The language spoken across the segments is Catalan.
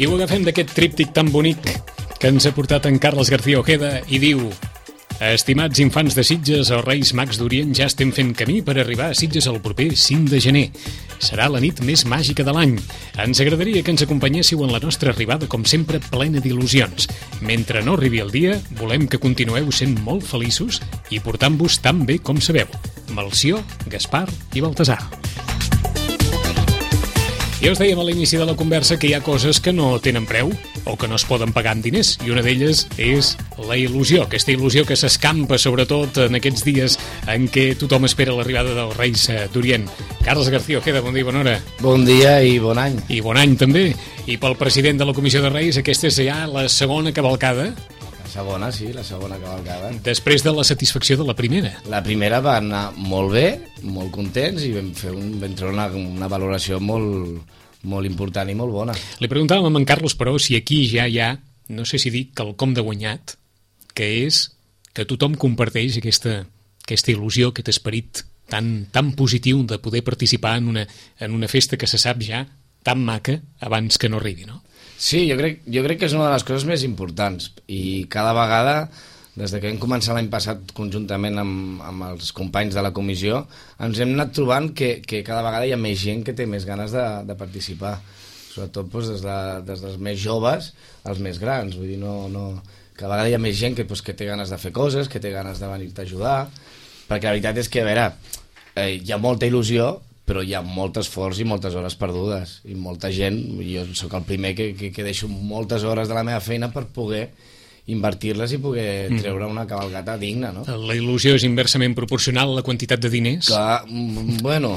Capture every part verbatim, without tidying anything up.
I ho agafem d'aquest tríptic tan bonic que ens ha portat en Carles García Ojeda i diu: estimats infants de Sitges, els Reis Mags d'Orient ja estem fent camí per arribar a Sitges el proper cinc de gener. Serà la nit més màgica de l'any. Ens agradaria que ens acompanyéssiu en la nostra arribada, com sempre, plena d'il·lusions. Mentre no arribi el dia, volem que continueu sent molt feliços i portant-vos tan bé com sabeu. Melcior, Gaspar i Baltasar. Ja us dèiem a l'inici de la conversa que hi ha coses que no tenen preu o que no es poden pagar amb diners, i una d'elles és la il·lusió, aquesta il·lusió que s'escampa sobretot en aquests dies en què tothom espera l'arribada dels Reis d'Orient. Carles García Ojeda, bon dia i bona hora. Bon dia i bon any. I bon any també. I pel president de la Comissió de Reis, aquesta és ja la segona cavalcada. La segona, sí, la segona cavalcada. Després de la satisfacció de la primera. La primera va anar molt bé, molt contents, i vam fer un, vam treure una, una valoració molt, molt important i molt bona. Li preguntàvem a en Carlos, però, si aquí ja hi ha, no sé si dic, quelcom de guanyat, que és que tothom comparteix aquesta, aquesta il·lusió, aquest esperit tan, tan positiu de poder participar en una, en una festa que se sap ja tan maca abans que no arribi, no? Sí, jo crec, jo crec que és una de les coses més importants, i cada vegada, des que vam començar l'any passat conjuntament amb, amb els companys de la comissió, ens hem anat trobant que, que cada vegada hi ha més gent que té més ganes de, de participar, sobretot doncs, des, de, des dels més joves als més grans. Vull dir, no, no... cada vegada hi ha més gent que, doncs, que té ganes de fer coses, que té ganes de venir-te a ajudar, perquè la veritat és que, a veure, eh, hi ha molta il·lusió, però hi ha molt esforç i moltes hores perdudes, i molta gent. Jo sóc el primer que, que, que deixo moltes hores de la meva feina per poder invertir-les i poder treure una cavalcata digna, no? La il·lusió és inversament proporcional a la quantitat de diners? Que, bueno...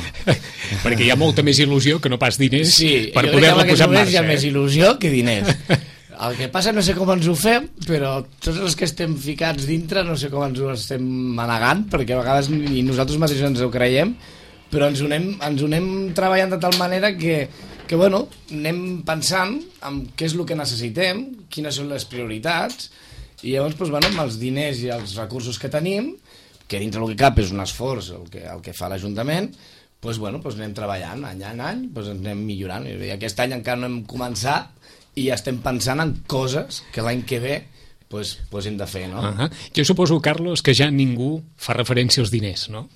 perquè hi ha molta més il·lusió que no pas diners, sí, per poder-la posar en marxa. Hi ha eh? més il·lusió que diners. El que passa, no sé com ens ho fem, però tots els que estem ficats dintre no sé com ens ho estem manegant, perquè a vegades ni nosaltres mateixos ens ho creiem, però ens ho anem, ens ho anem treballant de tal manera que, que bueno, anem pensant en què és el que necessitem, quines són les prioritats, i llavors, doncs, bueno, amb els diners i els recursos que tenim, que dintre el que cap és un esforç el que, el que fa l'Ajuntament, doncs, bueno, doncs anem treballant any en any, doncs anem millorant. I aquest any encara no hem començat i ja estem pensant en coses que l'any que ve doncs, doncs hem de fer, no? Uh-huh. Jo suposo, Carlos, que ja ningú fa referència als diners, no?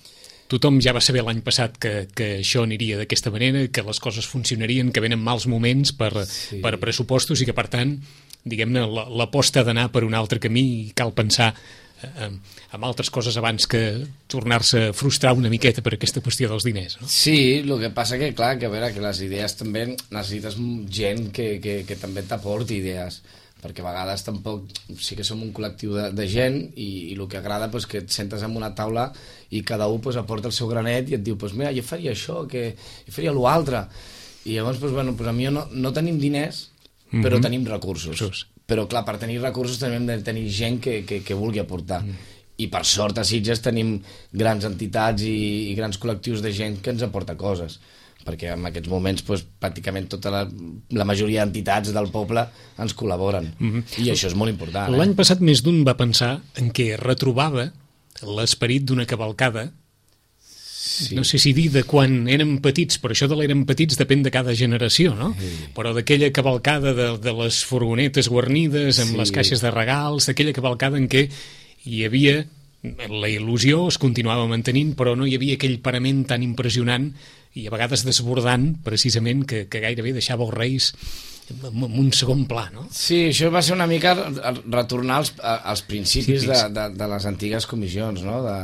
Tothom ja va saber l'any passat que, que això aniria d'aquesta manera, que les coses funcionarien, que venen mals moments per, sí. per pressupostos i que, per tant, diguem-ne, l'aposta ha d'anar per un altre camí i cal pensar eh, en altres coses abans que tornar-se a frustrar una miqueta per aquesta qüestió dels diners, no? Sí, el que passa que, clar, que a veure, que les idees també necessites gent que, que, que també t'aporti idees, perquè a vegades tampoc sí que som un col·lectiu de, de gent i, i el que agrada és pues, que et sentes en una taula i cada un pues, aporta el seu granet i et diu, pues, mira, jo faria això, que jo faria l'altre, i llavors pues, bueno, pues, a mi no, no tenim diners però mm-hmm. tenim recursos. Sus. Però clar, per tenir recursos també hem de tenir gent que, que, que vulgui aportar, mm. i per sort a Sitges tenim grans entitats i, i grans col·lectius de gent que ens aporta coses, perquè en aquests moments pues, pràcticament tota la, la majoria d'entitats del poble ens col·laboren, mm-hmm. i això és molt important. L'any eh? passat més d'un va pensar en què retrobava l'esperit d'una cavalcada, sí. No sé si dir de quan érem petits, però això de l'érem petits depèn de cada generació, no? Sí. Però d'aquella cavalcada de, de les furgonetes guarnides amb sí. les caixes de regals, d'aquella cavalcada en què hi havia la il·lusió, es continuava mantenint, però no hi havia aquell parament tan impressionant i a vegades desbordant, precisament, que, que gairebé deixava els Reis en un segon pla, no? Sí, això va ser una mica retornar als, als principis sí, de, de, de les antigues comissions, no? De,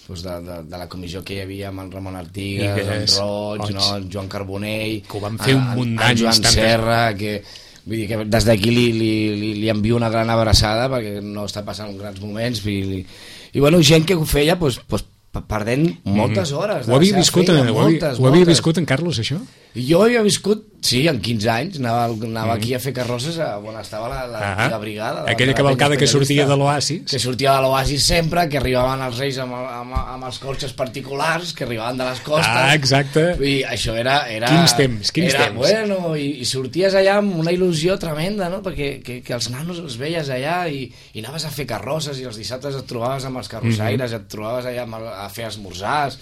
doncs de, de, de la comissió que hi havia amb el Ramon Artigas, en Roig, Roig. No? En Joan Carbonell, que ho van fer un munt d'anys, en Joan tantes... Serra, que... Vull dir que des d'aquí li, li, li, li envio una gran abraçada perquè no està passant grans moments i, li... i bueno, gent que ho feia doncs, doncs, perdent moltes hores ho havia viscut, feina, en, moltes, ho havia viscut en Carlos, això? Jo havia viscut, sí, en quinze anys anava, anava mm. aquí a fer carrosses a on estava la, la, ah, la brigada la, aquella cavalcada que sortia de l'Oasis que sortia de l'Oasis sempre, que arribaven els Reis amb, amb, amb els cotxes particulars que arribaven de les costes, ah, exacte. I això era, era quins temps, quins era, temps bueno, i, i sorties allà amb una il·lusió tremenda, no? Perquè que, que els nanos els veies allà i, i anaves a fer carrosses i els dissabtes et trobaves amb els carrossaires, mm-hmm. et trobaves allà amb, a fer esmorzars.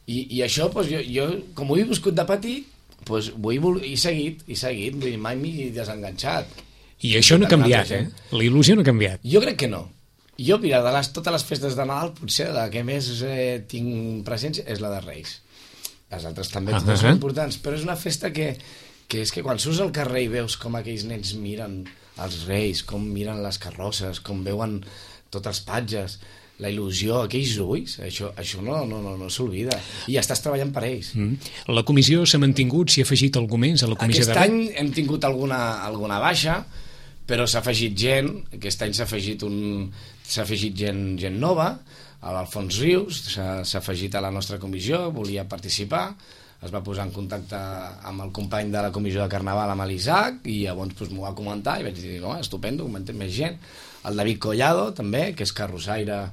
I, i això, doncs, jo, jo, com ho he viscut de petit, pues, vull, vull, he seguit, he seguit, vull dir, mai m'he desenganxat. I això no ha canviat, eh? La il·lusió no ha canviat. Jo crec que no. Jo, mira, de les, totes les festes de Nadal, potser la que més eh, tinc presència és la de Reis. Les altres també uh -huh. totes són importants, però és una festa que, que és que quan surts al carrer i veus com aquells nens miren els Reis, com miren les carrosses, com veuen tots els patges, la il·lusió, aquells ulls, això, això no, no, no, no s'olvida. I estàs treballant per ells. Mm. La comissió s'ha mantingut, s'hi ha afegit algú més a la comissió Aquest de... any hem tingut alguna, alguna baixa, però s'ha afegit gent, aquest any s'ha afegit, un, s'ha afegit gent, gent nova, l'Alfons Rius s'ha afegit a la nostra comissió, volia participar, es va posar en contacte amb el company de la comissió de Carnaval, amb l'Isaac, i llavors pues, m'ho va comentar i vaig dir, oh, estupendo, comentem més gent. El David Collado, també, que és carrossaire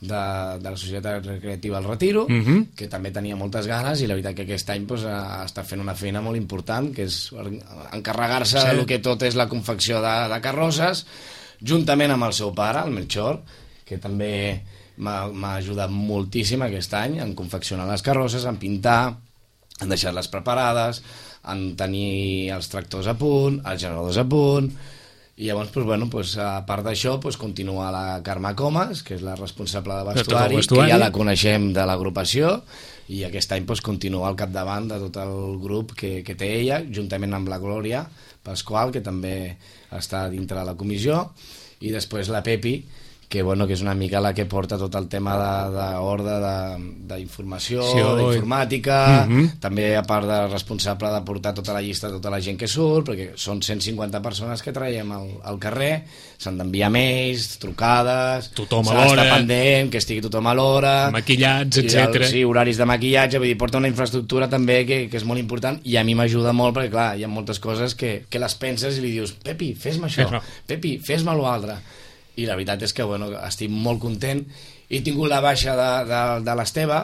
de, de la Societat Recreativa El Retiro, uh -huh. que també tenia moltes ganes, i la veritat que aquest any pues, està fent una feina molt important, que és encarregar-se sí. del que tot és la confecció de, de carrosses, juntament amb el seu pare, el Melchor, que també m'ha ajudat moltíssim aquest any en confeccionar les carrosses, en pintar, en deixar-les preparades, en tenir els tractors a punt, els generadors a punt, i llavors, pues, bueno, pues, a part d'això, pues, continua la Carme Comas, que és la responsable de vestuari, vestuari, que ja la coneixem de l'agrupació, i aquest any pues, continua al capdavant de tot el grup que, que té ella, juntament amb la Glòria Pasqual, que també està dintre de la comissió, i després la Pepi, que, bueno, que és una mica la que porta tot el tema d'ordre d'informació, sí, d'informàtica, uh -huh. també a part de responsable de portar tota la llista de tota la gent que surt, perquè són cent cinquanta persones que traiem al, al carrer, s'han d'enviar mails, trucades, tothom a l'hora, s'ha d'estar pendent, que estigui tothom a l'hora, maquillats, etcètera. Sí, horaris de maquillatge, vull dir, porta una infraestructura també que, que és molt important, i a mi m'ajuda molt, perquè clar, hi ha moltes coses que, que les penses i li dius, Pepi, fes-me això, fes Pepi, fes-me l'altre. I la veritat és que, bueno, estic molt content. He tingut la baixa de, de, de l'Esteve,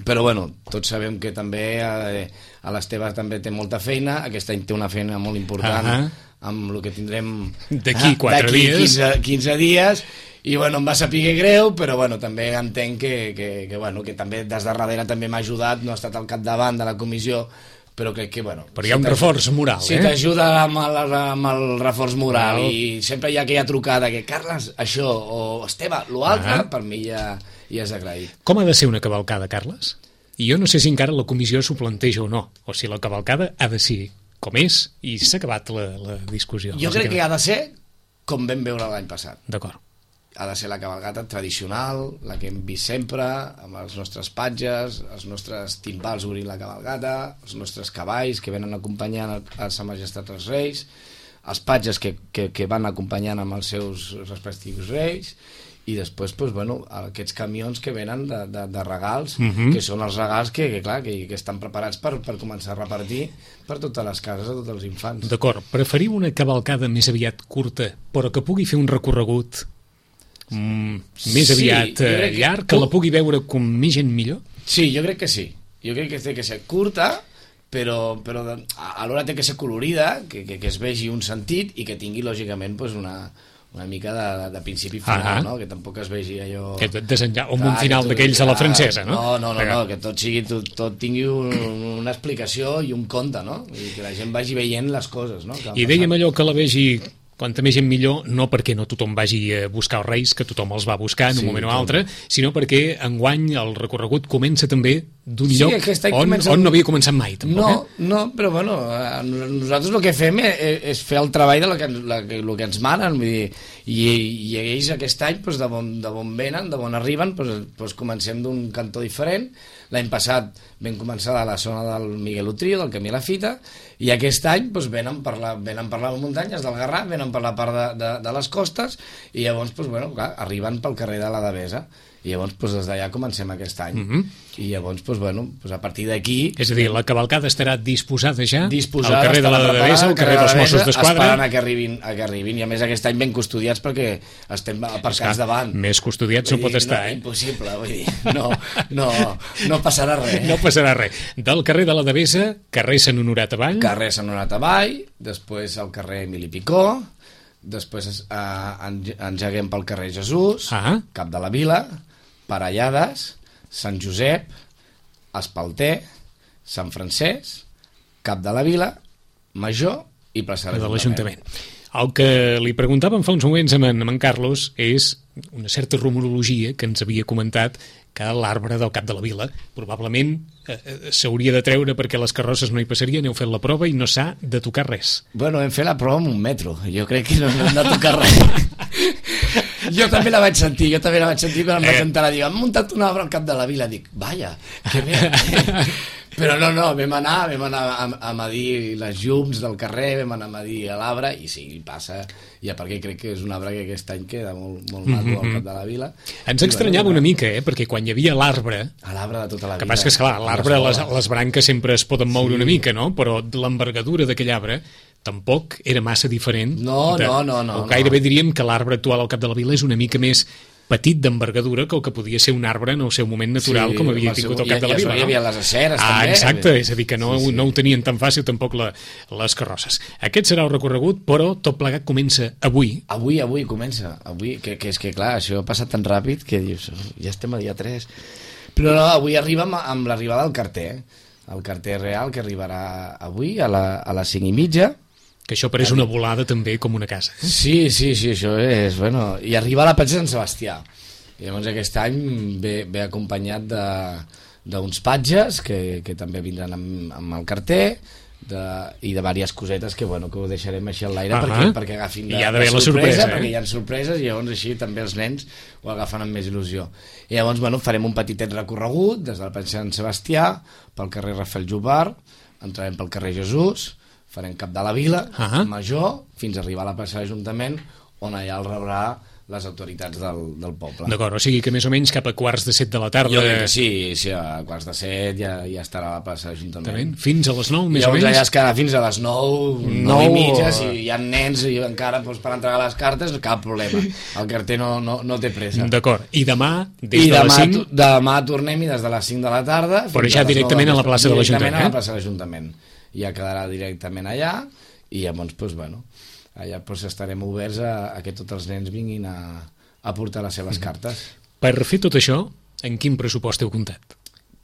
però, bueno, tots sabem que també eh, a l'Esteve també té molta feina, aquest any té una feina molt important, uh -huh. amb el que tindrem d'aquí quatre dies, quinze, quinze dies, i, bueno, em va saber greu, però, bueno, també entenc que, que, que, bueno, que també des de darrere també m'ha ajudat, no ha estat al capdavant de la comissió, però crec que, bueno... Però hi ha un reforç moral, si eh? Si t'ajuda amb, amb el reforç moral no. i sempre hi ha aquella trucada que, Carles, això, o Esteve, l'altre, ah. per mi ja, ja és agraït. Com ha de ser una cavalcada, Carles? I jo no sé si encara la comissió s'ho planteja o no, o si la cavalcada ha de ser com és i s'ha acabat la, la discussió. Jo crec que ha de ser com vam veure l'any passat. D'acord. Ha de ser la cavalgata tradicional, la que hem vist sempre, amb els nostres patges, els nostres timbals obrint la cavalgata, els nostres cavalls que venen acompanyant a Sa Majestat els Reis, els patges que, que, que van acompanyant amb els seus respectius reis, i després, pues, bueno, aquests camions que venen de, de, de regals, uh -huh. que són els regals que, que, clar, que, que estan preparats per, per començar a repartir per totes les cases, a tots els infants. D'acord, preferiu una cavalcada més aviat curta, però que pugui fer un recorregut Mm, més aviat sí, eh, que... llarg, que la pugui veure com més gent millor? Sí, jo crec que sí. Jo crec que té que ser curta, però, però de, alhora té que ser colorida, que, que, que es vegi un sentit i que tingui, lògicament, pues una, una mica de, de principi final, ah no? Que tampoc es vegi allò... Que desenllà, com un final d'aquells a la francesa, no? No, no, no, no que tot, sigui, tot, tot tingui un, una explicació i un conte, no? I que la gent vagi veient les coses, no? I dèiem allò que la vegi... Quanta més gent millor, no perquè no tothom vagi a buscar els Reis, que tothom els va buscar en sí, un moment o altre, sinó perquè enguany el recorregut comença també d'un sí, lloc on, comença... on no havia començat mai, tampoc. No, eh? no, però bueno, nosaltres el que fem és, és fer el treball de lo que, la, lo que ens manen, vull dir, i, i ells aquest any, doncs, de, bon, de bon venen, de bon arriben, doncs, doncs comencem d'un cantó diferent. L'any passat vam començar a la zona del Miguel Utrío, del Camí a la Fita, i aquest any doncs, venen, per la, venen per les muntanyes del Garraf, venen per la part de, de, de les costes, i llavors doncs, bueno, clar, arriben pel carrer de la Devesa, i llavors doncs, des d'allà comencem aquest any. Uh -huh. I llavors, doncs, bueno, doncs, a partir d'aquí... És a dir, la cavalcada estarà disposada ja disposada, al carrer de la Devesa, al carrer dels Mossos d'Esquadra, esperant a que arribin, a que arribin, i a més aquest any ben custodiats perquè estem aparcats davant. Més custodiats no pot estar, no, eh? Impossible, vull dir, no, no, no passarà res. No passarà res. Del carrer de la Devesa, carrer Sant Honorat avall. Carrer Sant Honorat avall, després el carrer Emili Picó, després eh, engeguem pel carrer Jesús, ah. Cap de la Vila, Parellades, Sant Josep, Espalter, Sant Francesc, Cap de la Vila, Major i plaça de l'Ajuntament. El que li preguntàvem fa uns moments amb en, amb en Carlos és una certa rumorologia que ens havia comentat que l'arbre del Cap de la Vila probablement eh, s'hauria de treure perquè les carrosses no hi passarien, heu fet la prova i no s'ha de tocar res. Bueno, hem fet la prova amb un metro, jo crec que no hem de tocar res. Jo també la vaig sentir, jo també la vaig sentir quan em vaig enterar, dic, han muntat un arbre al Cap de la Vila, dic, vaja, que bé. Però no, no, vam anar, vam anar a, a medir les llums del carrer, vam anar a medir l'arbre, i sí, passa, ja perquè crec que és un arbre que aquest any queda molt, molt maco mm-hmm. al Cap de la Vila. Ens estranyava una mica, eh, perquè quan hi havia l'arbre... L'arbre de tota la Vila. Que passa que, esclar, l'arbre, les, les branques sempre es poden moure sí. una mica, no? Però l'envergadura d'aquell arbre tampoc era massa diferent. No, de, no, no, no. O gairebé no. diríem que l'arbre actual al Cap de la Vila és una mica més petit d'envergadura que el que podia ser un arbre en el seu moment natural, sí, com havia tingut el Cap de la Vila. Hi havia les aceres, ah, també. Exacte, és a dir, que no, sí, sí. no ho tenien tan fàcil tampoc la, les carrosses. Aquest serà el recorregut, però tot plegat comença avui. Avui, avui comença. Avui, que, que és que, clar, això ha passat tan ràpid que dius, ja estem a dia tres. Però no, avui arriba amb, amb l'arribada del carter. El carter real, que arribarà avui a, la, a les cinc i mitja. Que això pareix una volada també com una casa. Eh? Sí, sí, sí, això és... Bueno, i arriba a la platja de Sant Sebastià. I llavors aquest any ve, ve acompanyat d'uns patges que, que també vindran amb, amb el carter de, i de diverses cosetes que, bueno, que ho deixarem així al l'aire uh -huh. perquè, perquè agafin de, I ha de la sorpresa, sorpresa eh? perquè hi ha sorpreses i llavors així també els nens ho agafen amb més il·lusió. I llavors, bueno, farem un petitet recorregut des del platja de Sant Sebastià pel carrer Rafael Jubart, entrarem pel carrer Jesús, farem Cap de la Vila, uh -huh. Major, fins a arribar a la plaça de l'Ajuntament, on allà el rebrà les autoritats del, del poble. D'acord, o sigui que més o menys cap a quarts de set de la tarda... Jo crec que sí, sí, a quarts de set ja, ja estarà a la plaça de l'Ajuntament. Fins a les nou, més o menys? Llavors allà es quedarà fins a les nou, nou i mitja, si hi ha nens i encara doncs, per entregar les cartes, cap problema. El carter no, no, no té pressa. D'acord, i demà, des I de demà, les cinc... demà tornem i des de les cinc de la tarda... Però ja directament a la plaça de l'Ajuntament. Directament a la plaça de l'Ajuntament. Ja quedarà directament allà i llavors, doncs, bueno, allà doncs, estarem oberts a, a que tots els nens vinguin a, a portar les seves cartes. Per fer tot això, en quin pressupost heu comptat?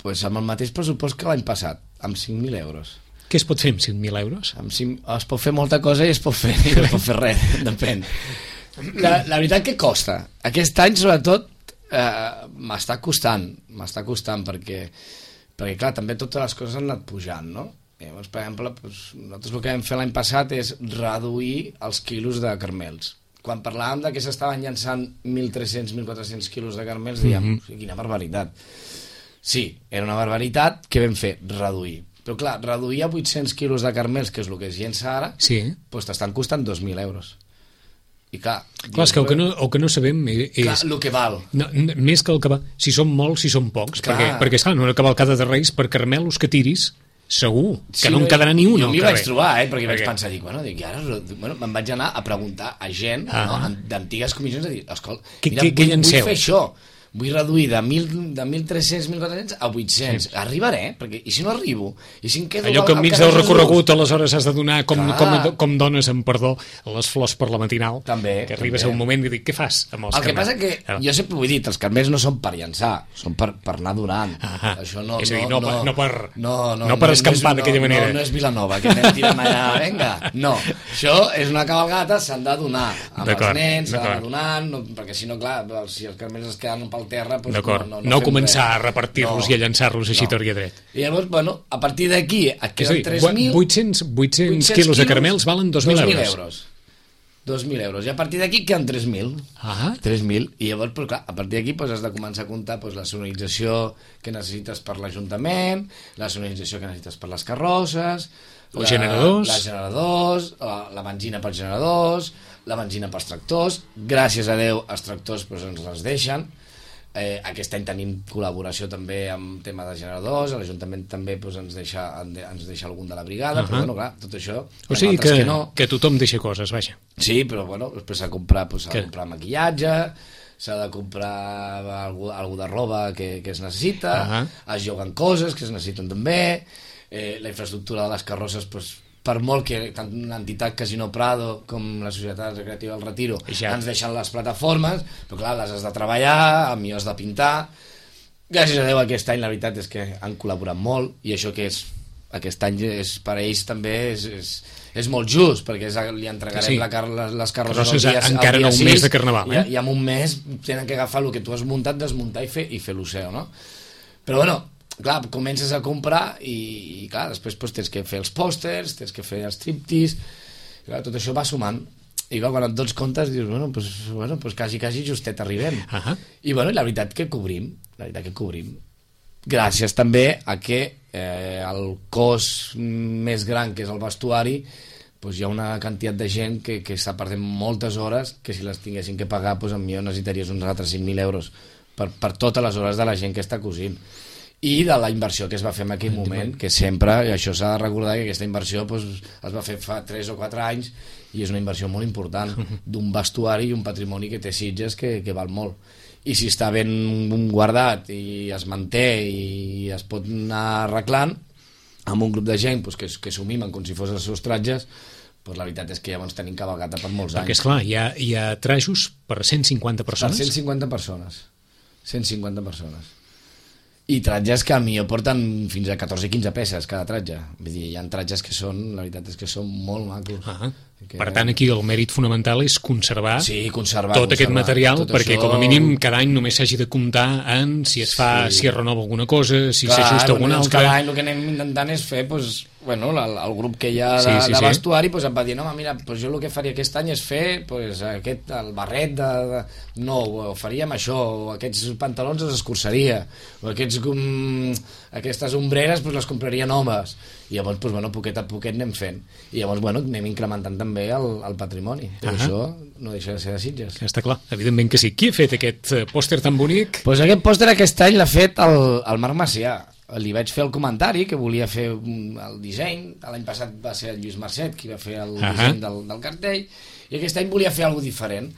Pues amb el mateix pressupost que l'any passat, amb cinc mil euros. Què es pot fer amb cinc mil euros? Amb cinc, es pot fer molta cosa i es pot fer, no es pot fer res, depèn. La, la veritat que costa. Aquest any, sobretot, eh, m'està costant, m'està costant perquè, perquè, clar, també totes les coses han anat pujant, no? Llavors, per exemple, doncs, nosaltres el que vam fer l'any passat és reduir els quilos de carmels. Quan parlàvem de que s'estaven llançant mil tres-cents mil quatre-cents quilos de carmels, dèiem, mm-hmm. quina barbaritat. Sí, era una barbaritat que vam fer, reduir. Però clar, reduir a vuit-cents quilos de carmels, que és el que es llença ara, sí. doncs t'estan costant dos mil euros. I clar... Clar, és que el que no, el que no sabem és... Clar, el que val. No, més que el que val, si són molts, si són pocs. Clar. Perquè, perquè esclar, en una cavalcada de Reis, per carmelos que tiris... segur, que sí, no en quedarà ni un jo al m'hi carrer. vaig trobar, eh, perquè, perquè vaig pensar, dic, bueno, dic, ara, bueno, me'n vaig anar a preguntar a gent ah. no, d'antigues comissions, a dir, escolta, mira, què, vull, què vull fer això, vull reduir de, de mil tres-cents mil quatre-cents a vuit-cents, sí. Arribaré, perquè, i si no arribo, i si em quedo... Allò que enmig del recorregut aleshores has de donar com, com, com dones amb perdó les flors per la matinal, també, que arribes també. a un moment i dic, què fas amb els el que carmels? passa que, ah. jo sempre ho he dit, els carmels no són per llançar, són per, per anar donant. Ah, això no, és a dir, no, no, no per, no, no, no per no, escampar no, d'aquella manera. No, no és Vilanova, que anem tirant allà, vinga. No, això és una cabalgata, s'han de donar amb els nens, s'han d'anar donant, no, perquè si no, clar, si els carmels es queden pel terra... Doncs no, no, no, no començar res. A repartir-los no, i a llançar-los així no. Tot i dret. I llavors, bueno, a partir d'aquí et queden tres mil... vuit-cents quilos de caramels valen dos mil euros. dos mil euros. I a partir d'aquí queden tres mil. Ah. tres mil. I llavors, però, clar, a partir d'aquí pues, has de començar a comptar pues, la sonorització que necessites per l'Ajuntament, la sonorització que necessites per les carrosses, els generadors, la, generadors la, la benzina pels generadors, la benzina pels tractors. Gràcies a Déu, els tractors pues, ens les deixen. Eh, aquest any tenim col·laboració també amb tema de generadors, l'Ajuntament també doncs, ens, deixa, ens deixa algun de la brigada, uh -huh. però bueno, clar, tot això... O sigui que, que, no. que tothom deixa coses, vaja. Sí, però bueno, després s'ha de comprar, doncs, de comprar maquillatge, s'ha de comprar algú, algú de roba que, que es necessita, uh -huh. es lloguen coses que es necessiten també, eh, la infraestructura de les carrosses, doncs, per molt que tant una entitat Casino Prado com la Societat Recreativa del Retiro ja. Ens deixen les plataformes, però clar, les has de treballar, a mi has de pintar. Gràcies a Déu aquest any la veritat és que han col·laborat molt, i això que és aquest any és, per a ells també és, és, és molt just, perquè és, li entregarem sí. la car les, les carrosses el dia, encara en un sis, mes de Carnaval, eh? i, i en un mes tenen que agafar el que tu has muntat, desmuntar i fer, i fer l'Oceo, no? Però bueno, clar, comences a comprar i, i clar, després pues, tens que fer els pòsters, tens que fer els triptis, clar, tot això va sumant. I clar, quan et dones comptes dius, bueno, pues, bueno, pues quasi, quasi justet arribem. Uh -huh. I bueno, la veritat que cobrim, la veritat que cobrim. Gràcies també a que eh, el cos més gran, que és el vestuari, pues hi ha una quantitat de gent que, que està perdent moltes hores, que si les tinguessin que pagar, pues potser necessitaries uns altres cinc mil euros per, per totes les hores de la gent que està cosint. I de la inversió que es va fer en aquell moment, que sempre, i això s'ha de recordar, que aquesta inversió pues, es va fer fa tres o quatre anys i és una inversió molt important d'un vestuari i un patrimoni que té Sitges que, que val molt. I si està ben guardat i es manté i es pot anar arreglant amb un grup de gent pues, que, que s'ho mimen com si fos els seus tratges, pues, la veritat és que llavors tenim cavalcata per molts anys. Perquè, esclar, hi ha, hi ha trajos per cent cinquanta persones? Per cent cinquanta persones. cent cinquanta persones. I tratges que a millor porten fins a catorze quinze peces cada tratge. Vull dir, hi ha tratges que són, la veritat és que són molt macos. Ah, que... Per tant, aquí el mèrit fonamental és conservar, sí, conservar tot conservar, aquest material, tot perquè això... com a mínim cada any només s'hagi de comptar en si es fa, sí. si es renova alguna cosa, si s'ajusta alguna doncs altra... Cada any el que anem intentant és fer, pues, bueno, el, el grup que hi ha de, sí, sí, de vestuari, sí. pues, em va dir, no, mira, pues, jo el que faria aquest any és fer pues, aquest, el barret de, de... no, o faríem això, o aquests pantalons els escurçaria, o aquests, um, aquestes ombreres pues, les compraria noves, i llavors, pues, bueno, poquet a poquet anem fent, i llavors, bueno, anem incrementant també el, el patrimoni, però uh -huh. això no deixa de ser de Sitges. Està clar, evidentment que sí. Qui ha fet aquest pòster tan bonic? Pues aquest pòster aquest any l'ha fet el, el Marc Macià. Li vaig fer el comentari que volia fer el disseny, l'any passat va ser el Lluís Marcet qui va fer el uh -huh. disseny del, del cartell, i aquest any volia fer alguna cosa diferent,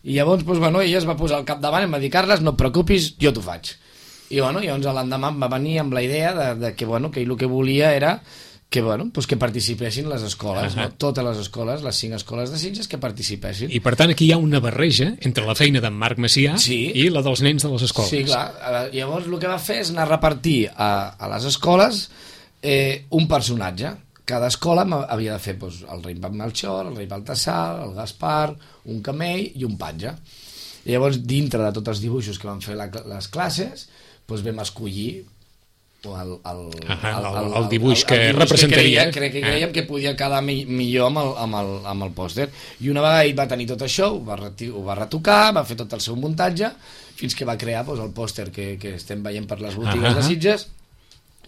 i llavors pues, bueno, ella es va posar al capdavant i em va dir, Carles, no et preocupis, jo t'ho faig. I bueno, llavors l'endemà em va venir amb la idea de, de que, bueno, que ell el que volia era que, bueno, pues que participessin les escoles, uh -huh. no? Totes les escoles, les cinc escoles de Sitges que participessin. I per tant aquí hi ha una barreja entre la feina d'en Marc Macià sí. i la dels nens de les escoles. Sí, clar. Llavors el que va fer és anar a repartir a, a les escoles eh, un personatge. Cada escola havia de fer pues, el rei Melchor, el rei Baltasar, el Gaspar, un camell i un patge. I llavors, dintre de tots els dibuixos que van fer la, les classes, pues, vam escollir el, el, Aha, el, el, el dibuix que el, el dibuix representaria que, creia, que creiem ah. que podia quedar mi, millor amb el, amb el, amb el pòster, i una vegada ell va tenir tot això, ho va, reti, ho va retocar, va fer tot el seu muntatge fins que va crear pues, el pòster que, que estem veient per les botigues ah. de Sitges,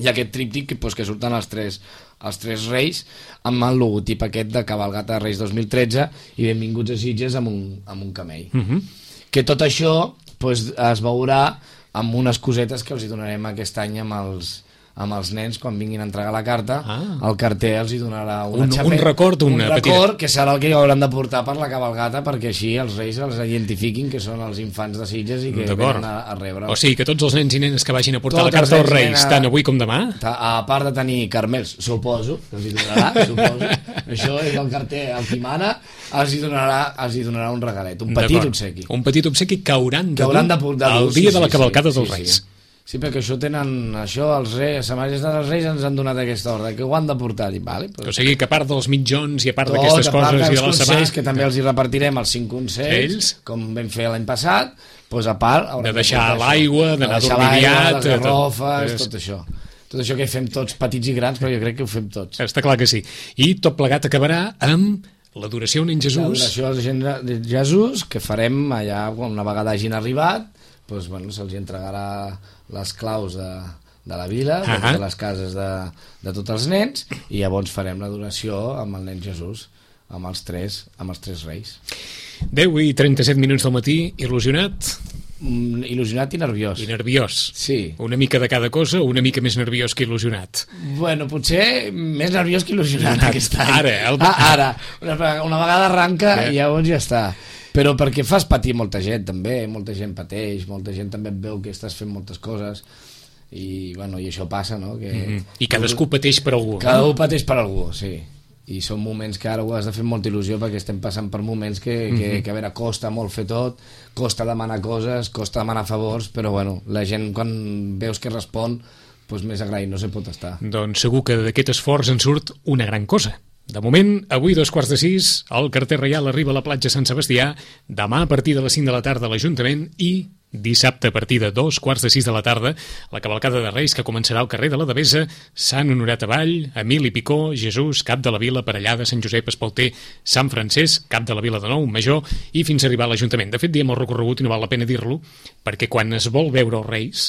i aquest tríptic que, pues, que surten els tres, els tres reis amb el logotip aquest de Cabalgata de Reis dos mil tretze i benvinguts a Sitges amb un, amb un camell. Uh -huh. Que tot això pues, es veurà amb unes cosetes que els hi donarem aquest any amb els, amb els nens quan vinguin a entregar la carta. Ah. El carter els hi donarà una un, xapeta, un record, una un record petita... que serà el que hauran de portar per la cabalgata perquè així els reis els identifiquin que són els infants de Sitges i que venen a, a rebre. O sigui que tots els nens i nenes que vagin a portar tots la carta als reis, a... tant avui com demà, a part de tenir carmels, suposo que els hi donarà, suposo. Això és el carter, el qui mana, els hi donarà, els hi donarà un regalet, un petit obsequi. Un petit obsequi que hauran de que hauran de portar el dia sí, de la cavalcada sí, dels sí, reis. Sí. Sí, perquè això tenen, això els reis, Sa Majestat dels Reis ens han donat aquesta ordre, que ho han de portar. Dic, vale, però... O sigui que a part dels mitjons i a part d'aquestes coses i de la consells, que també els hi repartirem els cinc consells, Ells? com vam fer l'any passat, doncs a part... De deixar l'aigua, d'anar dormidiat... Les garrofes, tot, tot això. Tot això que fem tots, petits i grans, però jo crec que ho fem tots. Està clar que sí. I tot plegat acabarà amb l'adoració al nen Jesús. L'adoració al nen Jesús, que farem allà, una vegada hagin arribat, doncs, bueno, se'ls entregarà les claus de, de la vila, de totes les cases de, de tots els nens, i llavors farem l'adoració amb el nen Jesús, amb els tres, amb els tres reis. deu i trenta-set minuts del matí, il·lusionat? Mm, il·lusionat i nerviós. I nerviós. Sí. Una mica de cada cosa, o una mica més nerviós que il·lusionat? Bueno, potser més nerviós que il·lusionat aquest any. Ara, el... ah, ara. Una, una vegada arranca i llavors ja està. Però perquè fas patir molta gent també, molta gent pateix, molta gent també et veu que estàs fent moltes coses i, bueno, i això passa, no? Que... Mm-hmm. I cadascú pateix per algú. Cadascú pateix per algú, sí. I són moments que ara ho has de fer amb molta il·lusió perquè estem passant per moments que, mm-hmm. que, que a veure, costa molt fer tot, costa demanar coses, costa demanar favors, però bueno, la gent quan veus que respon pues més agraït no se pot estar. Doncs segur que d'aquest esforç en surt una gran cosa. De moment, avui dos quarts de sis, el carter reial arriba a la platja Sant Sebastià, demà a partir de les cinc de la tarda a l'Ajuntament i dissabte a partir de dos quarts de sis de la tarda la cavalcada de Reis que començarà al carrer de la Devesa, Sant Honorat Avall, Emili Picó, Jesús, Cap de la Vila, Parellada, Sant Josep, Espalter, Sant Francesc, Cap de la Vila de Nou, Major i fins a arribar a l'Ajuntament. De fet, diem el recorregut i no val la pena dir-lo perquè quan es vol veure els Reis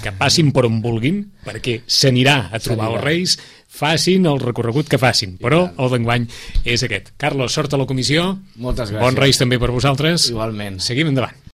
que passin per on vulguin, perquè s'anirà a trobar els Reis, facin el recorregut que facin, però el d'enguany és aquest. Carlos, sort a la comissió. Moltes gràcies. Bons Reis també per vosaltres. Igualment. Seguim endavant.